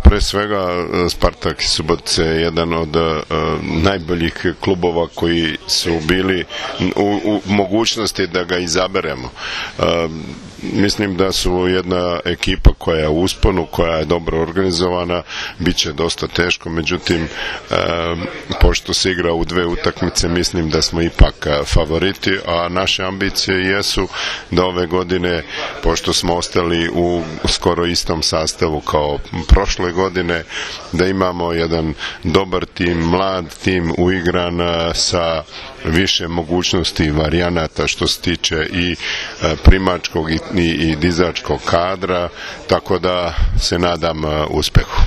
pre svega Spartak iz Subotice je jedan od najboljih klubova koji su bili u mogućnosti da ga izaberemo. Mislim da su jedna ekipa koja je u usponu, koja je dobro organizovana, bit će dosta teško, međutim pošto se igra u 2 utakmice, mislim da smo ipak favoriti, a naše ambicije jesu da ove godine, pošto smo ostali u skoro istom sastavu kao prošle godine, da imamo jedan dobar tim, mlad tim, uigran sa više mogućnosti i varijanata što se tiče i primačkog i dizačkog kadra, tako da se nadam uspehu.